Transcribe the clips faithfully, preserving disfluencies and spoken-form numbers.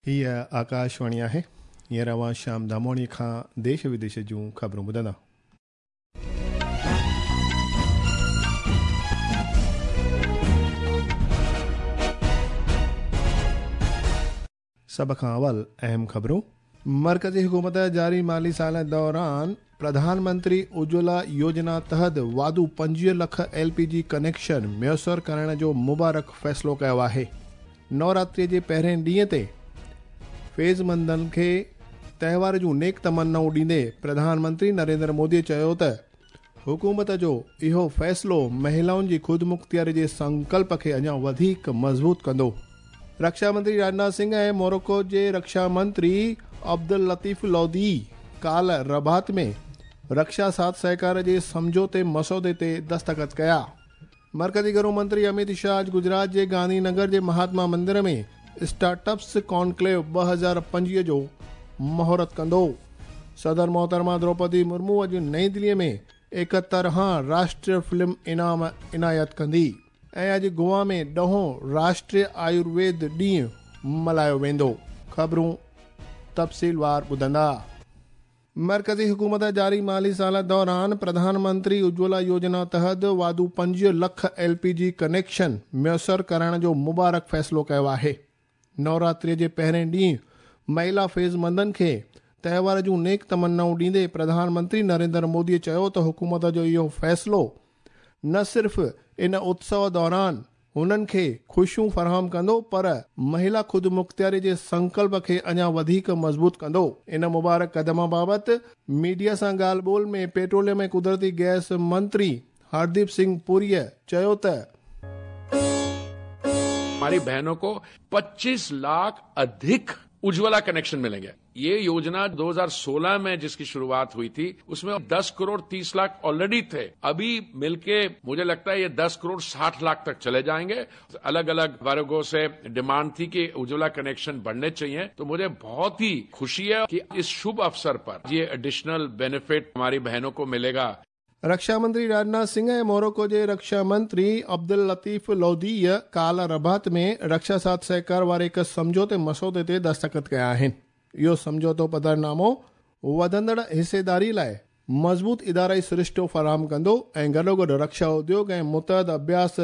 हीअ आकाशवाणी आहे। हींअर अव्हां श्याम दामोणी खां देश विदेश जूं ख़बरूं ॿुधंदा। सभ खां अवल अहम ख़बरूं। मर्कज़ी हुकूमत जारी माली साल दौरान प्रधानमंत्री उज्ज्वला योजना तहत वाधू पंजवीह लख एल पी जी कनेक्शन मयसर करण जो मुबारक फ़ैसिलो कयो आहे। नवरात्रीअ जे पहिरें ॾींहं ते फैज़मंदनि खे तहिवार जूं नेक तमन्नाऊं ॾींदे प्रधानमंत्री नरेंद्र मोदी चयो त हुकूमत जो इहो फ़ैसिलो महिलाउनि जी ख़ुदमुख़्तियारी जे संकल्प खे अञा वधीक मज़बूत कंदो। रक्षा मंत्री राजनाथ सिंह ऐं मोरक्को जे रक्षा मंत्री अब्दुल लतीफ़ लोधी काल रबात में रक्षा साथ सहकार जे सम्झौते मसौदे ते दस्तख़त कया। मर्कज़ी घरू मंत्री अमित शाह अॼु गुजरात जे गांधीनगर जे महात्मा मंदिर में स्टार्टअप्स कॉन्क्लेव ॿ हज़ार पंजवीह जो मुहूर्त कंदो। सदर मोहतरमा द्रौपदी मुर्मू अॼु नई दिल्लीअ में एकहतरहां राष्ट्रीय फिल्म इनाम इनायत कंदी। ऐं अॼु गोवा में ॾहों राष्ट्रीय आयुर्वेद ॾींहुं मल्हायो वेंदो। ख़बरूं तफ़सीलवार ॿुधंदा। मर्कज़ी हुकूमत जारी माली साल दौरान प्रधानमंत्री उज्ज्वला योजना तहत वाधू पंजवीह लख एल पी जी कनेक्शन मयसर करण जो मुबारक फ़ैसिलो कयो आहे। नवरात्रीअ जे पहिरें ॾींहुं महिला फैज़मंदनि खे तहिवार जूं नेक तमन्नाऊं ॾींदे प्रधानमंत्री नरेंद्र मोदी चयो त हुकूमत जो इहो फ़ैसिलो न सिर्फ़ इन उत्सव दौरान हुननि खे ख़ुशियूं फराहम कंदो पर महिला ख़ुदमुख़्तियारी जे संकल्प खे अञा वधीक मज़बूत कंदो। इन मुबारक कदम बाबति मीडिया सां ॻाल्हि ॿोल में पेट्रोलियम ऐं कुदरती गैस मंत्री हरदीप सिंह पुरीअ चयो त हमारी बहनों को पच्चीस लाख अधिक उज्ज्वला कनेक्शन मिलेंगे। ये योजना दो हज़ार सोलह में जिसकी शुरुआत हुई थी उसमें दस करोड़ तीस लाख ऑलरेडी थे, अभी मिलके मुझे लगता है ये दस करोड़ साठ लाख तक चले जाएंगे। अलग अलग वर्गों से डिमांड थी कि उज्ज्वला कनेक्शन बढ़ने चाहिए, तो मुझे बहुत ही खुशी है कि इस शुभ अवसर पर ये एडिशनल बेनिफिट हमारी बहनों को मिलेगा। रक्षा मंत्री राजनाथ सिंह ऐं मोरक्को जे रक्षा मंत्री अब्दुल लतीफ़ लोधीअ काल रबात में रक्षा साथ सहकार वारे हिकु सम्झौते मसौदे ते दस्तख़त कया आहिनि। इहो सम्झौतो पधरनामो वधंदड़ हिस्सेदारी लाइ मज़बूत इदाराई सरिश्तो फराहम कंदो ऐं गॾोगॾु रक्षा उद्योग ऐं मुतहद अभ्यास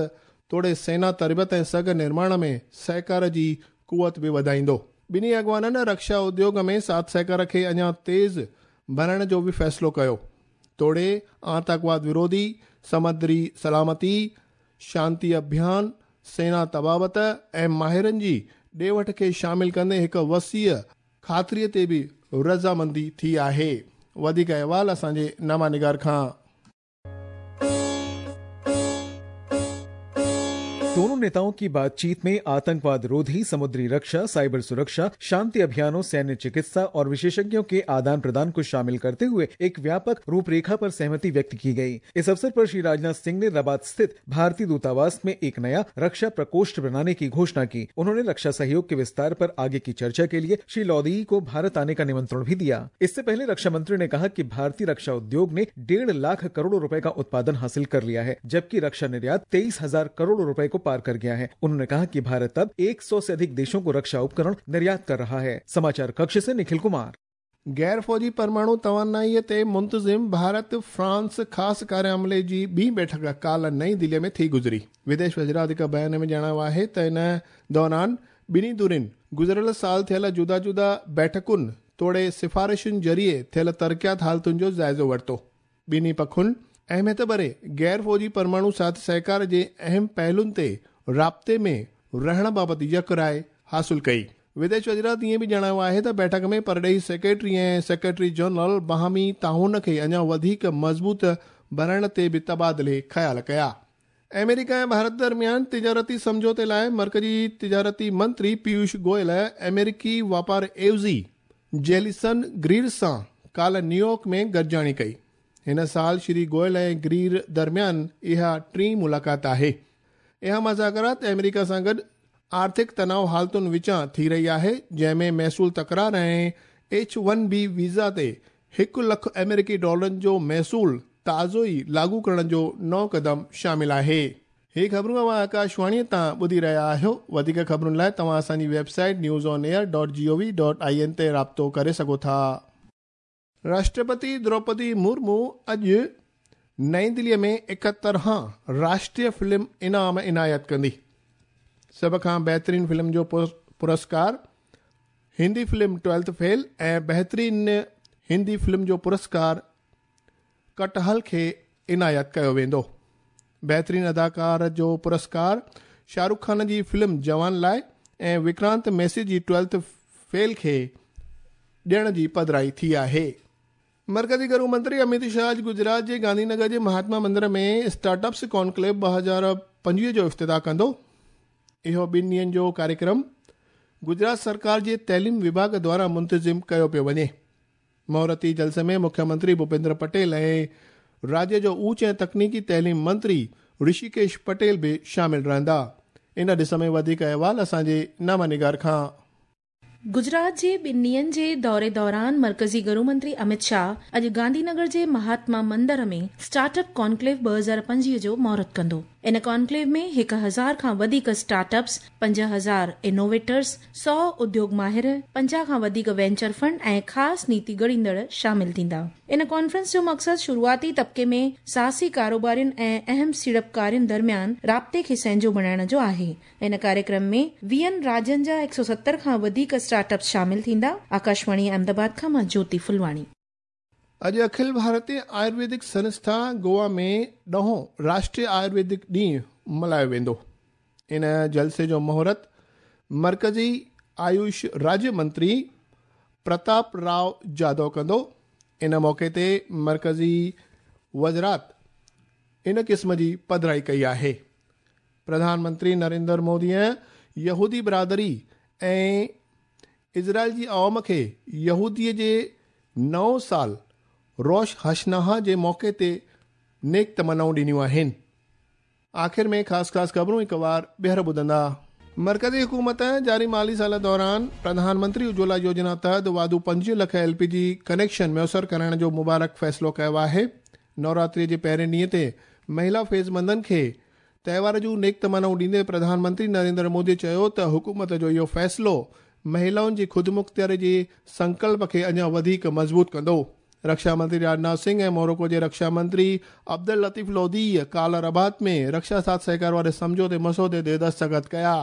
तोड़े सेना तरबियत ऐं सघ निर्माण में सहकार जी कुवत बि वधाईंदो। ॿिन्ही अॻवाननि रक्षा उद्योग में साथ सहकार खे अञा तेज़ बणाइण जो बि फ़ैसिलो कयो। तोड़े आतंकवाद विरोधी, समुद्री सलामती, शांति अभियान, सेना तबाबत ऐं माहिरनि जी ॾे वठ खे शामिल कंदे हिकु वसीअ ख़ातिरीअ ते बि रज़ामंदी थी आहे। वधीक अहवाल असांजे नामा निगार खां। दोनों नेताओं की बातचीत में आतंकवाद रोधी, समुद्री रक्षा, साइबर सुरक्षा, शांति अभियानों, सैन्य चिकित्सा और विशेषज्ञों के आदान प्रदान को शामिल करते हुए एक व्यापक रूपरेखा पर सहमति व्यक्त की गई। इस अवसर पर श्री राजनाथ सिंह ने रबात स्थित भारतीय दूतावास में एक नया रक्षा प्रकोष्ठ बनाने की घोषणा की। उन्होंने रक्षा सहयोग के विस्तार पर आगे की चर्चा के लिए श्री लोधी को भारत आने का निमंत्रण भी दिया। इससे पहले रक्षा मंत्री ने कहा कि भारतीय रक्षा उद्योग ने डेढ़ लाख करोड़ रुपए का उत्पादन हासिल कर लिया है, जबकि रक्षा निर्यात तेईस हजार करोड़ रुपए को पार कर गया है। उन्होंने कहा कि भारत अब सौ से अधिक देशों को रक्षा उपकरण निर्यात कर रहा है। समाचार कक्ष से निखिल कुमार। गैर फौजी परमाणु तवानाईअ ते मुंतज़िम भारत फ्रांस ख़ासि कार्य अमले जी ॿी बैठक काल नई दिल्लीअ में थी गुज़री। विदेश वज़ारत हिकु बयान में ॼाणायो आहे त इन दौरान ॿिन्ही धुरियुनि गुज़िरियल साल थियल जुदा जुदा बैठकुनि तोड़े सिफारिशुनि ज़रिए थियल तरक़ियात हालतुनि जो जाइज़ो वरितो। ॿिन्ही पखुनि अहमियत भरे गैर फौजी परमाणु साथ सहकार जे अहम पहलुनि ते राब्ते में रहण बाबति यकराय हासिल कई। विदेश वज़ारत ईअं बि ॼाणायो आहे त बैठक में परॾेही सेक्रेटरी ऐं सेक्रेटरी जनरल बाहमी ताउन खे अञा वधीक मज़बूत बणाइण ते बि तबादिले ख़्याल कया। अमेरिका ऐं भारत दरमियान तिजारती सम्झौते लाइ मर्कज़ी तिजारती मंत्री पीयूष गोयल अमेरिकी वापार एवज़ी जेलिसन ग्रीर सां काल न्यूयॉर्क में गॾिजाणी कई। हिन साल श्री गोयल ऐं ग्रीर दरमियान इहा टीं मुलाक़ात आहे। इहा मुज़ाकरात अमेरिका सां गॾु आर्थिक तनाव हालतुनि विचां थी रही आहे, जंहिंमें महसूल तकरार ऐं एच वन बी वीज़ा ते हिकु लख अमेरिकी डॉलरनि जो महसूल ताज़ो ई लागू करण जो नओं क़दम शामिल आहे। ही ख़बरूं अव्हां आकाशवाणीअ तां ॿुधी रहिया आहियो। वधीक ख़बरुनि लाइ तव्हां असांजी website news on air dot G O V dot I N ते राब्तो करे सघो था। राष्ट्रपति द्रौपदी मुर्मू अॼु नई दिल्लीअ में एकहतरहां राष्ट्रीय फिल्म इनाम इनायत कंदी। सभ खां बहितरीन फिल्म जो पुरस्कार हिंदी फिल्म ट्वेल्थ फेल ऐं बहितरीन हिंदी फिल्म जो पुरस्कार कटहल खे इनायत कयो वेंदो। बहितरीन अदाकार जो पुरस्कार शाहरुख खान जी फिल्म जवान लाइ ऐं विक्रांत मेसी जी ट्वेल्थ फेल खे ॾियण जी पधराई थी आहे। मर्कज़ी घरू मंत्री अमित शाह अॼु गुजरात जे गांधीनगर जे महात्मा मंदिर में स्टार्टअप्स कॉन्क्लेव ॿ हज़ार पंजवीह जो इफ्तिताह कंदो। इहो ॿिनि ॾींहंनि जो कार्यक्रम गुजरात सरकार जे तइलीम विभाग द्वारा मुंतज़िम कयो पियो वञे। मुहूर्ती जलसे में मुख्यमंत्री भूपेंद्र पटेल ऐं राज्य जो ऊच ऐं तकनीकी तइलीम मंत्री ऋषिकेश पटेल बि शामिल रहंदा। इन ॾिस में वधीक अहवाल असांजे नामा निगार खां। गुजरात जे ॿिनि ॾींहंनि जे दौरे दौरान मर्कज़ी गृह मंत्री अमित शाह अॼु गांधीनगर जे महात्मा मंदिर में स्टार्टअप कॉन्क्लेव ॿ हज़ार पंजवीह जो मुहूर्त कंदो। इन कॉन्क्लेव में हिकु हज़ार खां वधीक स्टार्टअप्स, पंज हज़ार इनोवेटर्स, सौ उद्योग माहिर, पंजाह खां वधीक वेंचर फंड ऐं ख़ासि नीति घड़ींदड़ शामिल थींदा। इन कॉन्फ्रेंस जो मक़सदु शुरूआती तबके में साहसी कारोबारियुनि ऐं अहम सीड़पकारियुनि दरमियान राब्ते खे सहंजो बणाइण जो आहे। इन कार्यक्रम में वीहनि राज्यनि जा हिकु सौ सत्तर खां वधीक स्टार्टअप्स शामिल थींदा। आकाशवाणी अहमदाबाद खां मां ज्योति फुलवाणी। अॼु अखिल भारतीय आयुर्वेदिक संस्था गोवा में ॾहों राष्ट्रीय आयुर्वेदिक ॾींहुं मल्हायो वेंदो। इन जलसे जो मुहूर्त मर्कज़ी आयुष राज्य मंत्री प्रताप राव जाधव कंदो। इन मौक़े ते मर्कज़ी वज़ारत इन क़िस्म जी पधराई कई आहे। प्रधानमंत्री नरेंद्र मोदीअ यहूदी बरादरी ऐं इज़राइल जी अवाम खे यहूदीअ जे नओं साल रोश हशनाहा जे मौक़े ते नेक तमन्नाऊं ॾिनियूं आहिनि। आख़िर में ख़ासि ख़ासि ख़बरूं हिकु वार ॿीहर ॿुधंदा। मर्कज़ी हुकूमत जारी माली साल दौरान प्रधानमंत्री उज्ज्वला योजना तहत वाधू पंजवीह लख एल पी जी कनेक्शन मयसर करण जो मुबारक फ़ैसिलो कयो आहे। नवरात्रीअ जे पहिरें ॾींहं ते महिला फैज़मंदनि खे त्योहार जूं नेक तमन्नाऊं ॾींदे प्रधानमंत्री नरेंद्र मोदी चयो त हुकूमत जो इहो फ़ैसिलो महिलाउनि जी ख़ुदमुख़्तियारी जे संकल्प खे अञा वधीक मज़बूत कंदो। रक्षा मंत्री राजनाथ सिंह ऐं मोरोको जे रक्षा मंत्री अब्दुल लतीफ़ लोधी काल रबात में रक्षा साथ सहकार वारे सम्झौते मसौदे ते दस्तख़त कया।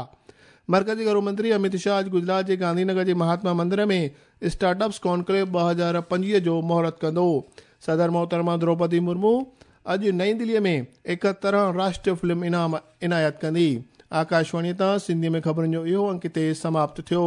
मर्कज़ी घरू मंत्री अमित शाह अॼु गुजरात जे गांधीनगर जे महात्मा मंदिर में स्टार्टअप्स कॉन्क्लेव ॿ हज़ार पंजवीह जो मुहूर्त कंदो। सदर मोहतरमा द्रौपदी मुर्मू अॼु नई दिल्लीअ में एकहतरहां राष्ट्रीय फिल्म इनाम इनायत कंदी। आकाशवाणी तां सिंधी में ख़बरुनि जो इहो अंक हिते समाप्त थियो।